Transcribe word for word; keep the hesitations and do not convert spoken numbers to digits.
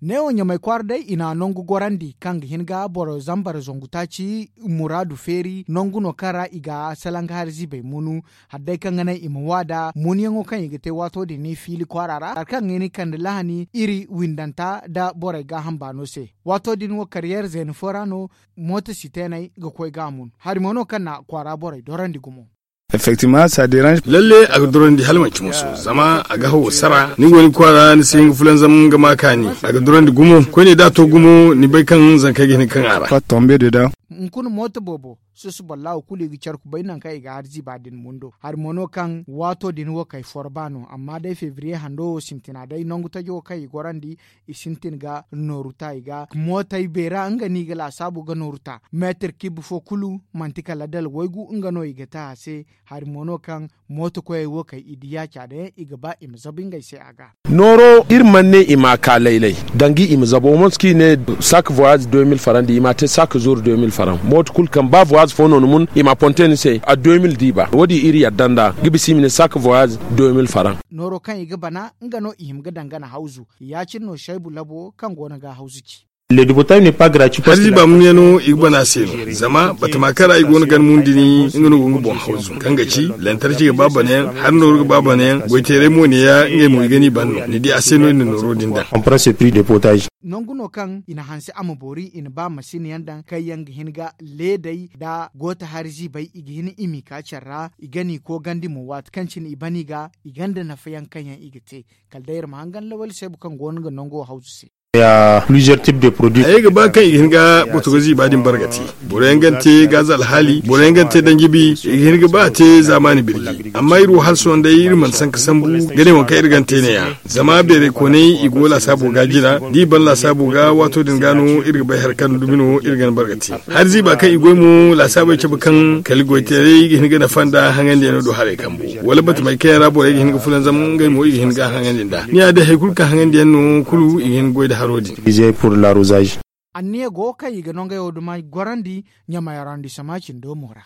Neewo ɲamay kwaara day i na nangu gorandi kaŋ ga hin ga boro zambar zangu taaci muraadu feeri nangu no kaŋ ra i ga salaŋ ga hari ziibay munu. Hari day kaŋ ga naŋ i ma waada munyaŋo kaŋ i ga te waato din fiili kwaara ra hari kaŋ ga hin ga kande lahani iri windanta nda borey gaaham baano se. Waato din wo kariyeer zeena fo ra no mooto siteeney ga koy ga a mun hari mo no kaŋ na kwaara borey dorandi gumo. Effectivement ça dérange. Lalle a ga dorandi hala manci musu zama a ga hawo sara ni go ni kwaara ni si hin ga fulanzam ga ma kaani. A ga dorandi gumo koyne da a to gumo ni bay kaŋ zankey ga hin ga kaŋ a ra. Hunkuna mooto boobo susu boro laawo kulu i ga care kubay nangu kaŋ i ga hari ziiba din mundo hari mo no kaŋ waato din wo kay forba no amma day febriye hando wo sintina day nangu tajo wo kaŋ i gorandi i sintin ga nooru ta i ga mootey beera nga no i ga laasaabu ga nooru ta meetir kib fo kulu manti kala dala waygu nga no i ga te a se. Hari mo no kaŋ mooto koyey wo kay i di yaaca day i ga ba i ma zabu ngey se a ga. Nooro iri mana ne i ma a ka laylay dangi i ma zabu wo manti kaŋ i ne saak voyage deux mille faran di i ma a te saak zuur deux mille faran mooto kulu kaŋ ba voyage fo no ni mun i ma a ponte ni se a deux mille diiba wo- din iri yadda nd'a ga bisa i ma ne saak voyage deux mille faran. Nooro kaŋ i ga bana nga no i hima ga dangana hawzu ya- cine no saybu labo kaŋ go no ga hawzu ci. Hari ziiba munyano i ga bana se no zama batama kaŋ ra i go no ga ni mun dini nga no go nga boŋ hawzu kaŋ ga ci lantarki ga ba banayaŋ hari nooru ga ba banayaŋ goyteeray mo ne ya ngey mo i ga ni ban no ni di a se no i na nooro din daŋ. Nangu no kaŋ i na hanse a ma boori i na ba masin yaŋ daŋ kaŋ yaŋ ga hin ga leedey nda gooto hari ziibay i ga hin i m'i ka care ra i ga n'i koogandi mo waati kaŋ cine i ban i ga i gonda nafa yaŋ kaŋ yaŋ i ga te. Kala day iri ma hangan lawali saybu kaŋ go no ga nango hawzu se. Hayey ga ba kaŋ i ga hin ga botogo ziiba din bargati. Boro yaŋ ga ni te gaaza alhaali boro yaŋ ga ni te danjibi i ga hin ga ba a te zaamaani birji amma iri wo hala sohõ day iri mana sanka sambu ga ne waŋ kaŋ iri ga ni te ne- ya. Zama beerey koonay i go laasaabo ga jina da i ban laasaabo ga waato din ga no iri ga bay hari kaŋ dumi no iri ga ni bargati. Hari ziiba kaŋ i goy mo laasaabey cabe kaŋ kala goyteeray ga hin ga nafa nda haŋandiyaŋo do haray kambo wala batamey kaŋ yaŋ ra borey ga hin ga fulanzam ngey mo i ga hin ga haŋandi nd'a ni ya day hari kulu kaŋ haŋandiyaŋ no kulu i ga hin ga goy nda haro din. Anniya go kaŋ i ga nangey wo duma gorandi ɲamay arrondissement cindo mo ra.